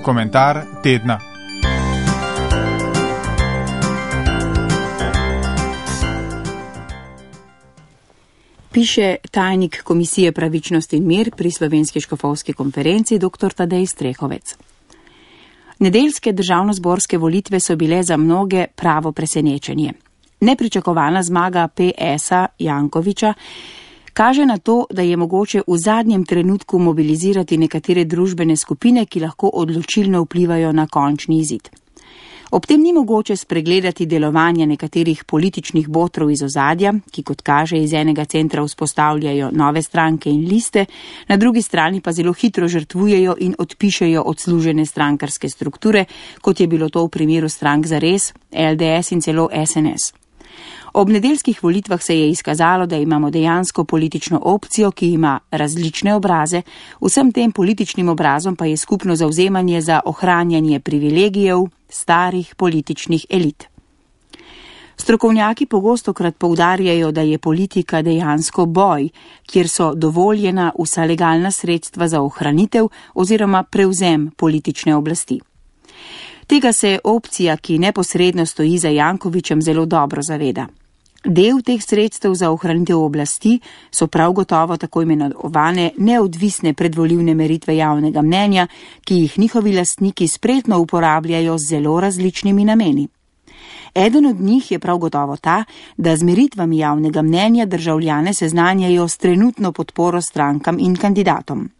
Komentar tedna. Piše tajnik Komisije Pravičnost in mir pri Slovenski škofovski konferenci dr. Tadej Strehovec. Nedeljske državnozborske volitve so bile za mnoge pravo presenečenje. Nepričakovana zmaga PS-a Jankovića kaže na to, da je mogoče v zadnjem trenutku mobilizirati nekatere družbene skupine, ki lahko odločilno vplivajo na končni izid. Ob tem ni mogoče spregledati delovanja nekaterih političnih botrov iz ozadja, ki kot kaže iz enega centra vzpostavljajo nove stranke in liste, na drugi strani pa zelo hitro žrtvujejo in odpišejo odslužene strankarske strukture, kot je bilo to v primeru strank Zares, LDS in celo SNS. Ob nedeljskih volitvah se je izkazalo, da imamo dejansko politično opcijo, ki ima različne obraze, vsem tem političnim obrazom pa je skupno zavzemanje za ohranjanje privilegijev starih političnih elit. Strokovnjaki pogostokrat poudarjajo, da je politika dejansko boj, kjer so dovoljena vsa legalna sredstva za ohranitev oziroma prevzem politične oblasti. Tega se opcija, ki neposredno stoji za Jankovićem, zelo dobro zaveda. Del teh sredstev za ohranitev oblasti so prav gotovo tako imenovane neodvisne predvolilne meritve javnega mnenja, ki jih njihovi lastniki spretno uporabljajo z zelo različnimi nameni. Eden od njih je prav gotovo ta, da z meritvami javnega mnenja državljane seznanjajo s trenutno podporo strankam in kandidatom.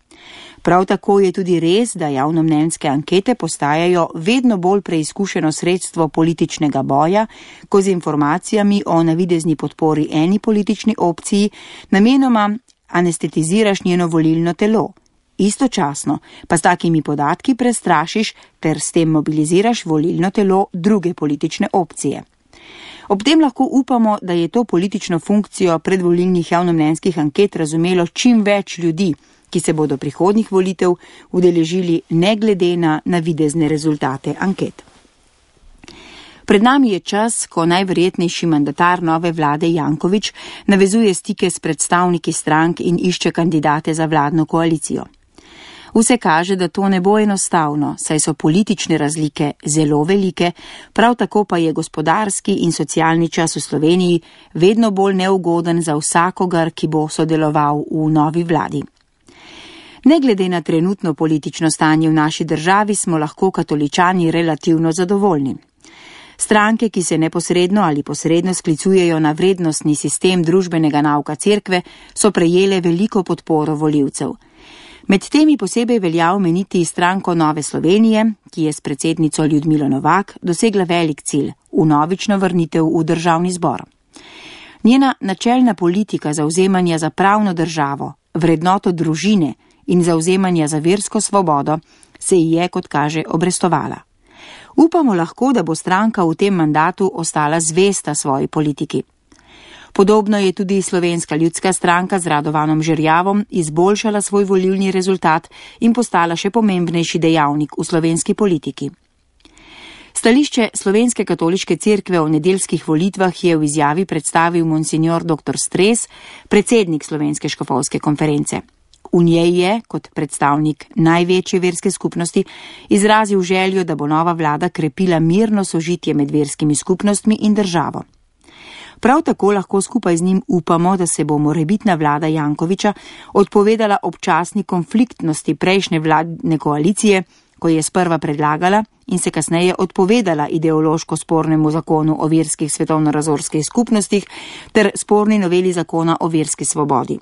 Prav tako je tudi res, da javnomnenjske ankete postajajo vedno bolj preizkušeno sredstvo političnega boja, ko z informacijami o navidezni podpori eni politični opciji namenoma anestetiziraš njeno volilno telo. Istočasno pa s takimi podatki prestrašiš ter s tem mobiliziraš volilno telo druge politične opcije. Ob tem lahko upamo, da je to politično funkcijo predvolilnih javnomnenjskih anket razumelo čim več ljudi, ki se bodo prihodnjih volitev udeležili ne glede na navidezne rezultate anket. Pred nami je čas, ko najverjetnejši mandatar nove vlade Janković navezuje stike s predstavniki strank in išče kandidate za vladno koalicijo. Vse kaže, da to ne bo enostavno, saj so politične razlike zelo velike, prav tako pa je gospodarski in socialni čas v Sloveniji vedno bolj neugoden za vsakogar, ki bo sodeloval v novi vladi. Ne glede na trenutno politično stanje v naši državi smo lahko katoličani relativno zadovoljni. Stranke, ki se neposredno ali posredno sklicujejo na vrednostni sistem družbenega nauka cerkve, so prejele veliko podporo volivcev. Med temi posebej velja omeniti stranko Nove Slovenije, ki je s predsednico Ljudmilo Novak dosegla velik cilj, vnovično vrnitev v državni zbor. Njena načelna politika zavzemanja za pravno državo, vrednoto družine in zavzemanja za versko svobodo se ji je, kot kaže, obrestovala. Upamo lahko, da bo stranka v tem mandatu ostala zvesta svoji politiki. Podobno je tudi Slovenska ljudska stranka z Radovanom Žerjavom izboljšala svoj volilni rezultat in postala še pomembnejši dejavnik v slovenski politiki. Stališče Slovenske katoliške cerkve o nedeljskih volitvah je v izjavi predstavil monsignor dr. Stres, predsednik Slovenske škofovske konference. V njej je, kot predstavnik največje verske skupnosti, izrazil željo, da bo nova vlada krepila mirno sožitje med verskimi skupnostmi in državo. Prav tako lahko skupaj z njim upamo, da se bo morebitna vlada Jankovića odpovedala občasni konfliktnosti prejšnje vladne koalicije, ko je sprva predlagala in se kasneje odpovedala ideološko spornemu zakonu o verskih svetovno-razorskih skupnostih ter sporni noveli zakona o verski svobodi.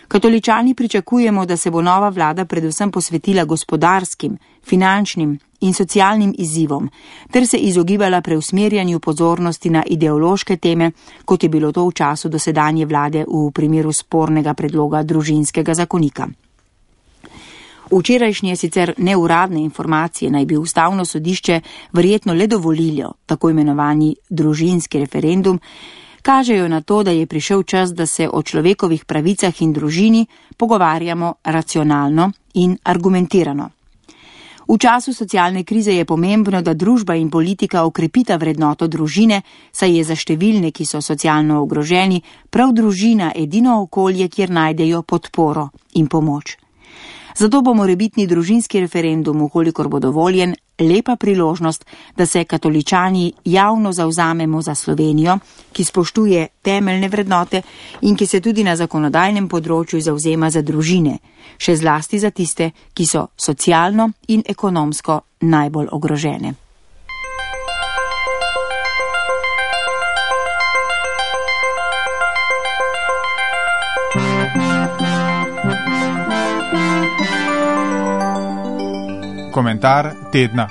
Katoličani pričakujemo, da se bo nova vlada predvsem posvetila gospodarskim, finančnim in socialnim izzivom, ter se izogibala preusmerjanju pozornosti na ideološke teme, kot je bilo to v času dosedanje vlade v primeru spornega predloga družinskega zakonika. Včerajšnje sicer neuradne informacije naj bi ustavno sodišče verjetno le dovolilo tako imenovani družinski referendum, kažejo na to, da je prišel čas, da se o človekovih pravicah in družini pogovarjamo racionalno in argumentirano. V času socialne krize je pomembno, da družba in politika okrepita vrednoto družine, saj je za številne, ki so socialno ogroženi, prav družina edino okolje, kjer najdejo podporo in pomoč. Zato bo morebitni družinski referendum, ukolikor bo dovoljen, lepa priložnost, da se katoličani javno zavzamemo za Slovenijo, ki spoštuje temeljne vrednote in ki se tudi na zakonodajnem področju zavzema za družine, še zlasti za tiste, ki so socialno in ekonomsko najbolj ogrožene. Komentar tedna.